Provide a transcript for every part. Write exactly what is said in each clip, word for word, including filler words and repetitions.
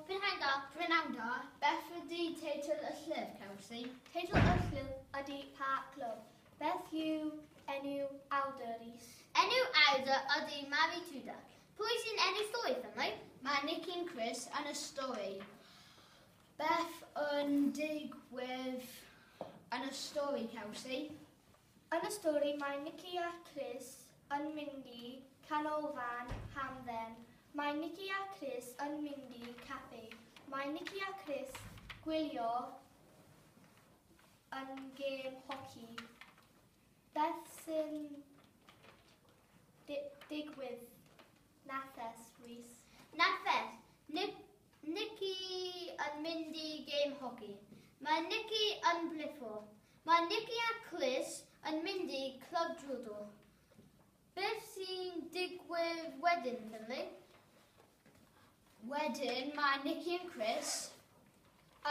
Prynhawn da. Prynhawn da. Beth ydy teitl y llyfr, Kelsey? Teitl y llyfr ydy Pa Clwb. Beth yw enw awdur, Rhys? Enw awdur ydy Mari Tudor. Pwy sy'n enw stori, Finlay? Mae Nicky and Chris yn y stori. Beth yn digwydd yn y stori, Kelsey? Yn y stori mae Nicky a Chris yn mynd i canolfan hamdden. Mae Nicky a Chris yn mynd i caffi. Mae Nicky a Chris gwylio yn gêm hoci. Beth sy'n di digwydd nesaf, Rhys? Nesaf, Nick, Nicky yn mynd i gêm hoci. Mae Nicky yn brifo. Mae Nicky a Chris yn mynd i clwb judo. Beth sy'n digwydd wedyn, Finlay? Wedyn mae Nicky and Chris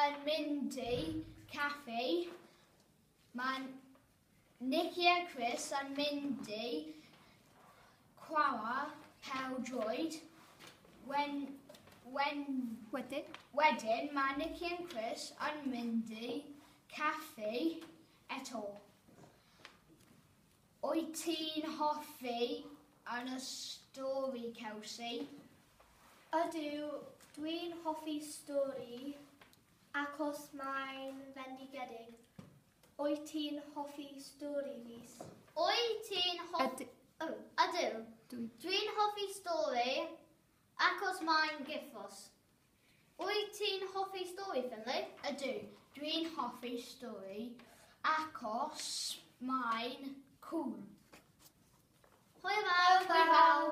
yn mynd i caffi. Mae Nicky a Chris yn mynd i chwarae pêl-droed. When, when, Wedyn? Wedyn mae Nicky and Chris yn mynd i caffi eto. Wyt ti'n hoffi yn y stori, Kelsey? Ydw, dwi'n hoffi stori achos mae'n fendigedig. Wyt ti'n hoffi stori, Rhys? Wyt ti'n hoffi... Yd- Oh, ydw. Dwi. Dwi'n hoffi stori achos mae'n gyffrous. Wyt ti'n hoffi stori, Finlay? Ydw, dwi'n hoffi stori achos mae'n cool. Hwyl fawr! Hwyl fawr!